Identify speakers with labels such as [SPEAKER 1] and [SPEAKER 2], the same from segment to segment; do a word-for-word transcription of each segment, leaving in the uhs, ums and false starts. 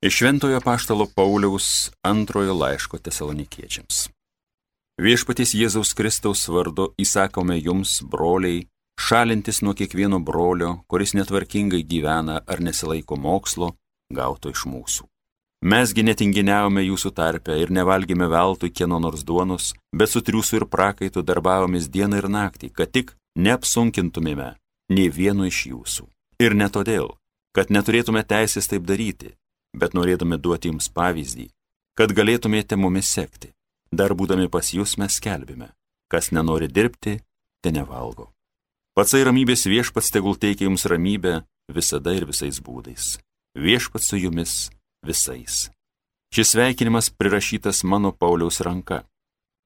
[SPEAKER 1] Iš Šventojo apaštalo Pauliaus antrojo laiško Tesalonikiečiams. Viešpaties Jėzaus Kristaus vardu įsakome jums, broliai, šalintis nuo kiekvieno brolio, kuris netvarkingai gyvena ar nesilaiko mokslo, gauto iš mūsų. Mesgi netinginiavome jūsų tarpe ir nevalgėme veltui kieno nors duonos, bet su triūsu ir prakaitu darbavomės dieną ir naktį, kad tik neapsunkintumėme nei vieno iš jūsų. Ir ne todėl, kad neturėtume teisės taip daryti, bet norėdami duoti jums pavyzdį, kad galėtumėte mumis sekti. Dar būdami pas jūs mes skelbime, kas nenori dirbti, te nevalgo. Patsai ramybės viešpats tegul teikia jums ramybę visada ir visais būdais. Viešpats su jumis visais. Šis sveikinimas prirašytas mano Pauliaus ranka.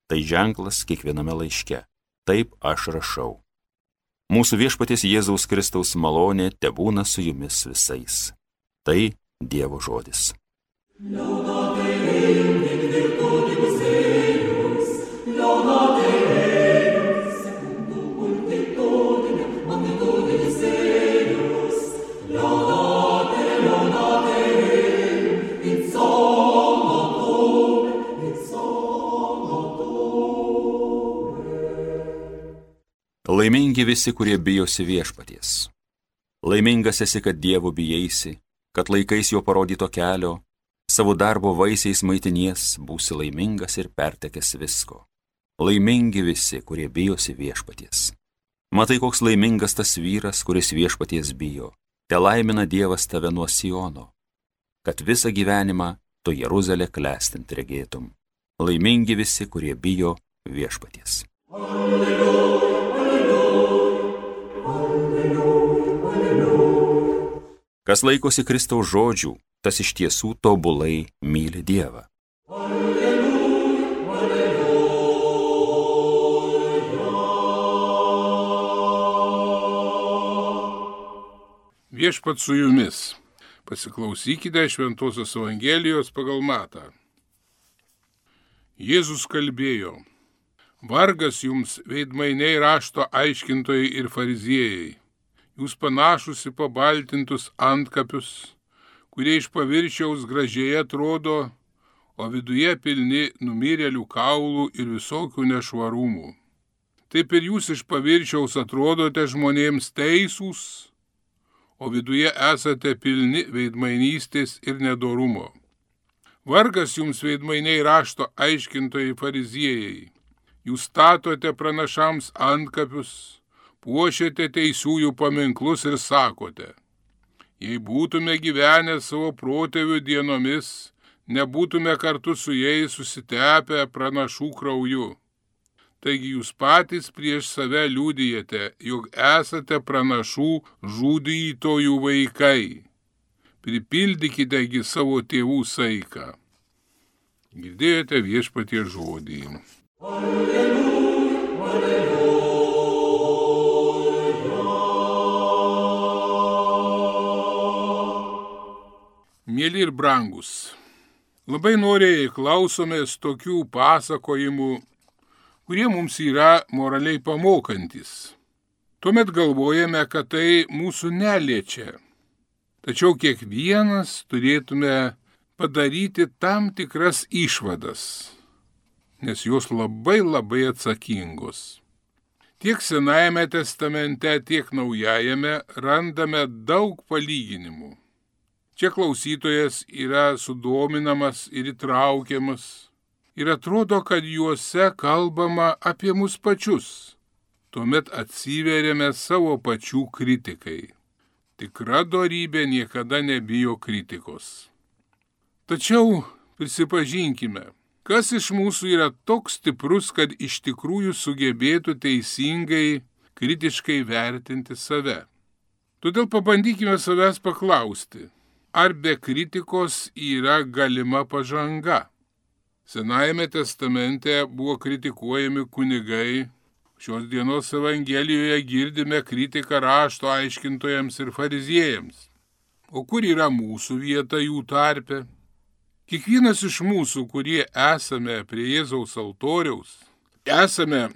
[SPEAKER 1] Tai ženklas kiekviename laiške. Taip aš rašau. Mūsų viešpaties Jėzaus Kristaus malonė tebūna su jumis visais. Tai Dievo žodis. Laimingi visi, kurie bijosi viešpaties. Laimingas esi, kad Dievo bijaisi, kad laikais jo parodyto kelio, savo darbo vaisiais maitinies, būsi laimingas ir pertekęs visko. Laimingi visi, kurie bijosi viešpaties. Matai, koks laimingas tas vyras, kuris viešpaties bijo. Te laimina Dievas tave nuo Siono, kad visą gyvenimą tu Jeruzalę klestint regėtum. Laimingi visi, kurie bijo viešpaties. Alleluja. Kas laikosi Kristaus žodžių, tas iš tiesų tobulai myli Dievą. Alleluja, alleluja.
[SPEAKER 2] Viešpat su jumis. Pasiklausykite Šventosios Evangelijos pagal Matą. Jėzus kalbėjo: Vargas jums, veidmainiai, rašto aiškintojai ir fariziejai. Jūs panašus į pabaltintus antkapius, kurie iš paviršiaus gražiai atrodo, o viduje pilni numirėlių kaulų ir visokių nešvarumų. Taip ir jūs iš paviršiaus atrodote žmonėms teisūs, o viduje esate pilni veidmainystės ir nedorumo. Vargas jums, veidmainiai, rašto aiškintojai fariziejai. Jūs statote pranašams antkapius, puošiate teisiųjų paminklus ir sakote: jei būtume gyvenę savo protėvių dienomis, nebūtume kartu su jais susitepę pranašų krauju. Taigi jūs patys prieš save liudijate, jog esate pranašų žudytojų vaikai. Pripildykitegi savo tėvų saiką. Girdėjote Viešpaties žodį. Alleluja, alleluja. Mėly ir brangus, labai noriai klausomės tokių pasakojimų, kurie mums yra moraliai pamokantis. Tuomet galvojame, kad tai mūsų neliečia. Tačiau kiekvienas turėtume padaryti tam tikras išvadas, nes jos labai labai atsakingos. Tiek Senajame testamente, tiek Naujajame randame daug palyginimų. Čia klausytojas yra sudominamas ir įtraukiamas ir atrodo, kad juose kalbama apie mus pačius. Tuomet atsiveriame savo pačių kritikai. Tikra dorybė niekada nebijo kritikos. Tačiau prisipažinkime, kas iš mūsų yra toks stiprus, kad iš tikrųjų sugebėtų teisingai, kritiškai vertinti save. Todėl pabandykime savęs paklausti, ar be kritikos yra galima pažanga? Senajame testamente buvo kritikuojami kunigai. Šios dienos Evangelijoje girdime kritiką rašto aiškintojams ir fariziejams. O kur yra mūsų vieta jų tarpe? Kiekvienas iš mūsų, kurie esame prie Jėzaus altoriaus, esame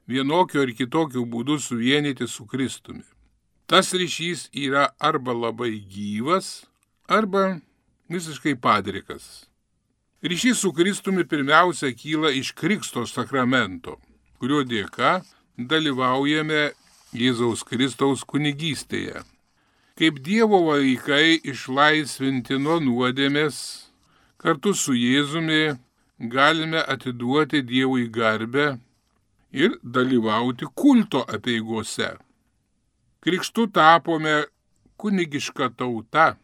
[SPEAKER 2] vienokio ir kitokio būdu suvienyti su Kristumi. Tas ryšys yra arba labai gyvas, arba visiškai padrikas. Ryšys su Kristumi pirmiausia kyla iš Krikšto sakramento, kurio dėka dalyvaujame Jėzaus Kristaus kunigystėje. Kaip Dievo vaikai išlaisvinti nuo nuodėmės, kartu su Jėzumi galime atiduoti Dievui garbę ir dalyvauti kulto apeigose. Krikštu tapome kunigiška tauta,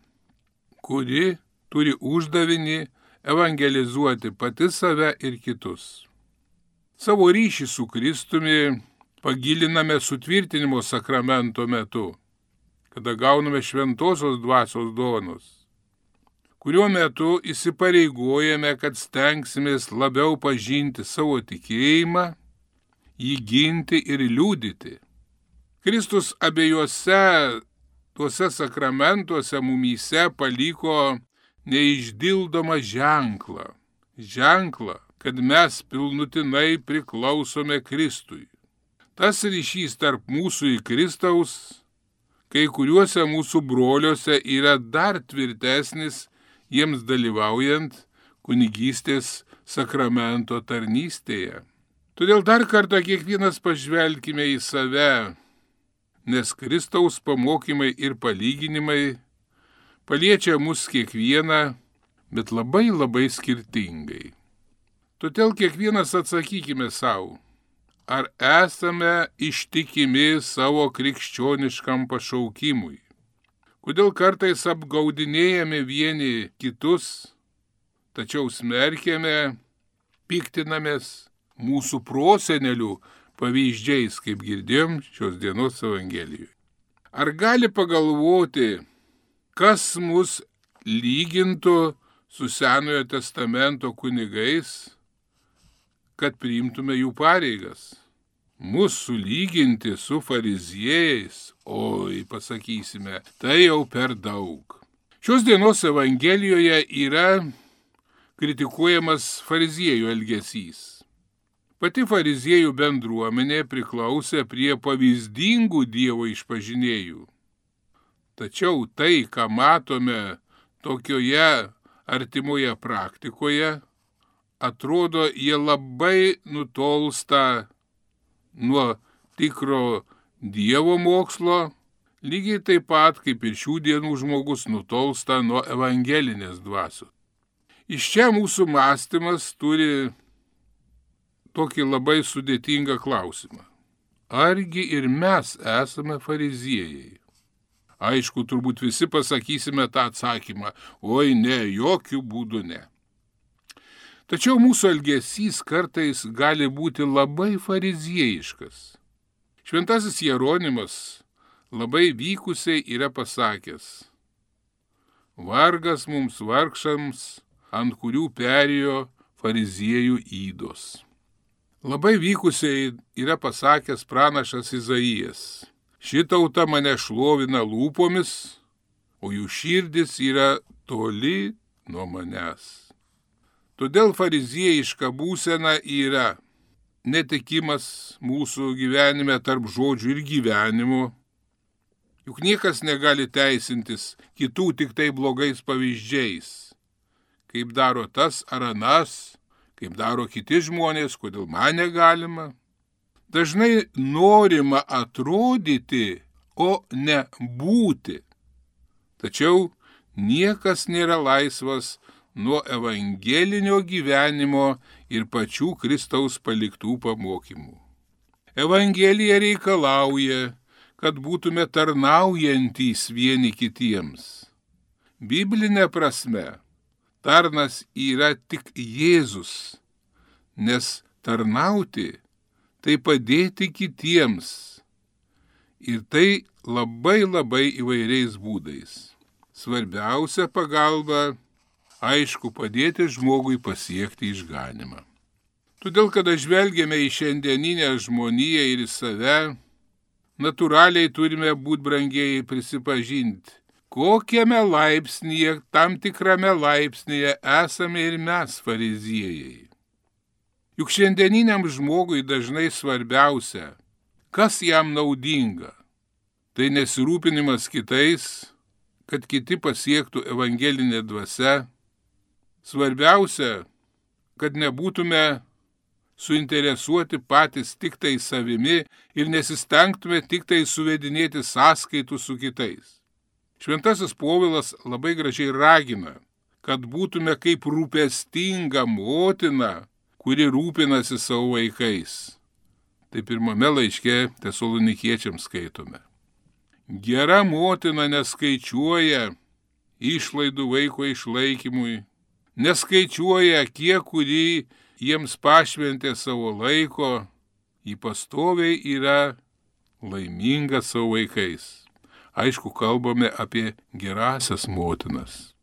[SPEAKER 2] kuri turi uždavinį evangelizuoti pati save ir kitus. Savo ryšį su Kristumi pagiliname sutvirtinimo sakramento metu, kada gauname šventosios dvasios dovanos, kuriuo metu įsipareigojame, kad stengsimės labiau pažinti savo tikėjimą, jį ginti ir liudyti. Kristus abiejose tuose sakramentuose mumyse paliko neišdildomą ženklą. Ženklą, kad mes pilnutinai priklausome Kristui. Tas ryšys tarp mūsų ir Kristaus kai kuriuose mūsų broliuose yra dar tvirtesnis, jiems dalyvaujant kunigystės sakramento tarnystėje. Todėl dar kartą kiekvienas pažvelkime į save, nes Kristaus pamokymai ir palyginimai paliečia mus kiekvieną, bet labai labai skirtingai. Todėl kiekvienas atsakykime savo, ar esame ištikimi savo krikščioniškam pašaukimui. Kodėl kartais apgaudinėjame vieni kitus, tačiau smerkiame, piktinamės mūsų prosenelių pavyzdžiais, kaip girdėjom šios dienos Evangelijoje. Ar gali pagalvoti, kas mus lygintų su Senojo testamento kunigais, kad priimtume jų pareigas? Mus sulyginti su fariziejais, oi, pasakysime, tai jau per daug. Šios dienos Evangelijoje yra kritikuojamas fariziejų elgesys. Pati fariziejų bendruomenė priklausė prie pavyzdingų Dievo išpažinėjų. Tačiau tai, ką matome tokioje artimoje praktikoje, atrodo, jie labai nutolsta nuo tikro Dievo mokslo, lygiai taip pat, kaip ir šių dienų žmogus nutolsta nuo evangelinės dvasios. Iš čia mūsų mąstymas turi tokį labai sudėtingą klausimą. Argi ir mes esame fariziejai? Aišku, turbūt visi pasakysime tą atsakymą, oi ne, jokių būdų ne. Tačiau mūsų elgesys kartais gali būti labai fariziejiškas. Šventasis Jeronimas labai vykusiai yra pasakęs: vargas mums vargšams, ant kurių perėjo fariziejų ydos. Labai vykusiai yra pasakęs pranašas Izaijas: ši tauta mane šlovina lūpomis, o jų širdis yra toli nuo manęs. Todėl fariziejiška būsena yra netikimas mūsų gyvenime tarp žodžių ir gyvenimo. Juk niekas negali teisintis kitų tik tai blogais pavyzdžiais, kaip daro tas ar anas, kaip daro kiti žmonės, kodėl man negalima. Dažnai norima atrodyti, o ne būti. Tačiau niekas nėra laisvas nuo evangelinio gyvenimo ir pačių Kristaus paliktų pamokymų. Evangelija reikalauja, kad būtume tarnaujantys vieni kitiems. Biblinė prasme, tarnas yra tik Jėzus, nes tarnauti tai padėti kitiems. Ir tai labai labai įvairiais būdais. Svarbiausia pagalba, aišku, padėti žmogui pasiekti išganymą. Todėl, kada žvelgiame į šiandieninę žmoniją ir į save, natūraliai turime būti brangieji prisipažinti, kokiame laipsnyje, tam tikrame laipsnyje esame ir mes fariziejai. Juk šiandieniniam žmogui dažnai svarbiausia, kas jam naudinga. Tai nesirūpinimas kitais, kad kiti pasiektų evangelinė dvasia. Svarbiausia, kad nebūtume suinteresuoti patys tik tai savimi ir nesistengtume tik tai suvedinėti sąskaitų su kitais. Šventasis Povilas labai gražiai ragina, kad būtume kaip rūpestinga motina, kuri rūpinasi savo vaikais. Tai pirmame laiške Tesalonikiečiams skaitome. Gera motina neskaičiuoja išlaidų vaiko išlaikymui, neskaičiuoja, kiek kurį jiems pašventė savo laiko, ji pastoviai yra laiminga savo vaikais. Aišku, kalbame apie gerasias motinas.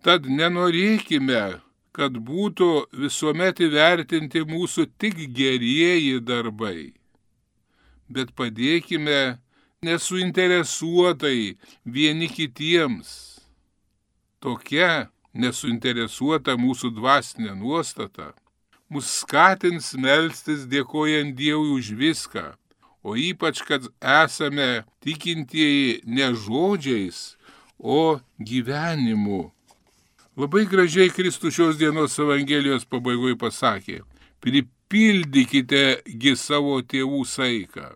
[SPEAKER 2] Tad nenorėkime, kad būtų visuomet įvertinti mūsų tik gerieji darbai, bet padėkime nesuinteresuotai vieni kitiems. Tokia nesuinteresuota mūsų dvasinė nuostata mus skatins melstis dėkojant Dievui už viską, o ypač, kad esame tikintieji ne žodžiais, o gyvenimu. Labai gražiai Kristus šios dienos Evangelijos pabaigoje pasakė, pripildykite gi savo tėvų saiką.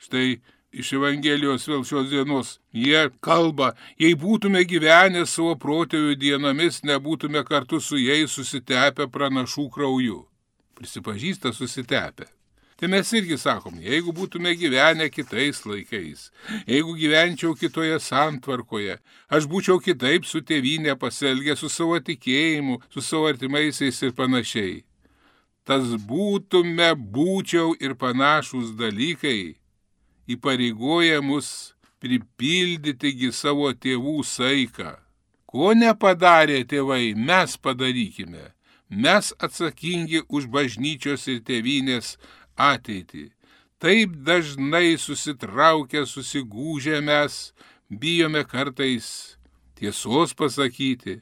[SPEAKER 2] Štai iš Evangelijos vėl šios dienos jie kalba, jei būtume gyvenę savo protėvių dienomis, nebūtume kartu su jais susitepę pranašų krauju. Prisipažįsta susitepę. Tai mes irgi sakom, jeigu būtume gyvenę kitais laikais, jeigu gyvenčiau kitoje santvarkoje, aš būčiau kitaip su tėvynė pasielgę, su savo tikėjimu, su savo artimaisiais ir panašiai. Tas būtume, būčiau ir panašus dalykai įpareigoja mus pripildyti savo tėvų saiką. Ko nepadarė tėvai, mes padarykime. Mes atsakingi už bažnyčios ir tėvynės ateitį. Taip dažnai susitraukę, susigūžę mes bijome kartais tiesos pasakyti.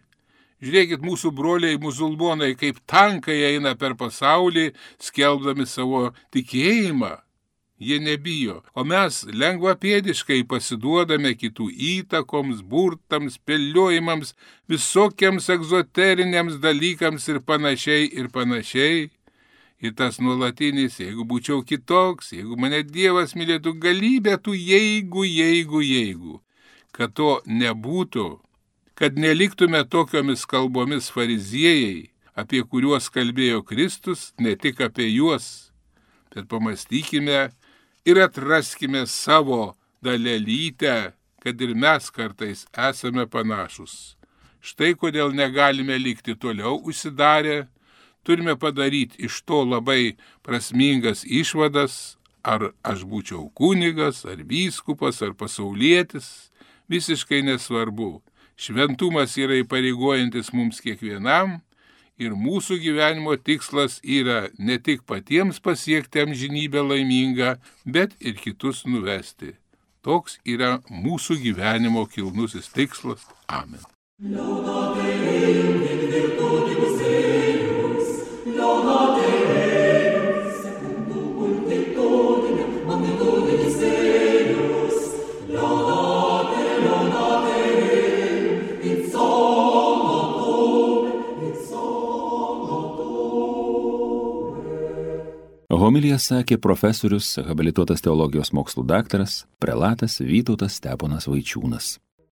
[SPEAKER 2] Žiūrėkit, mūsų broliai musulmonai kaip tankai eina per pasaulį, skelbdami savo tikėjimą. Jie nebijo, o mes lengvapėdiškai pasiduodame kitų įtakoms, burtams, spėliojimams, visokiams egzoteriniams dalykams ir panašiai ir panašiai. Ir tas nuolatinis, jeigu būčiau kitoks, jeigu mane Dievas mylėtų, galybė tų jeigu, jeigu, jeigu. Kad to nebūtų, kad neliktume tokiomis kalbomis fariziejai, apie kuriuos kalbėjo Kristus, ne tik apie juos, bet pamastykime ir atraskime savo dalelytę, kad ir mes kartais esame panašus. Štai kodėl negalime likti toliau užsidarę, turime padaryti iš to labai prasmingas išvadas, ar aš būčiau kunigas, ar vyskupas, ar pasaulietis, visiškai nesvarbu. Šventumas yra įpareigojantis mums kiekvienam ir mūsų gyvenimo tikslas yra ne tik patiems pasiekti amžinybę laimingą, bet ir kitus nuvesti. Toks yra mūsų gyvenimo kilnusis tikslas. Amen.
[SPEAKER 1] Homiliją sakė profesorius, habilituotas teologijos mokslų daktaras, prelatas Vytautas Steponas Vaičiūnas.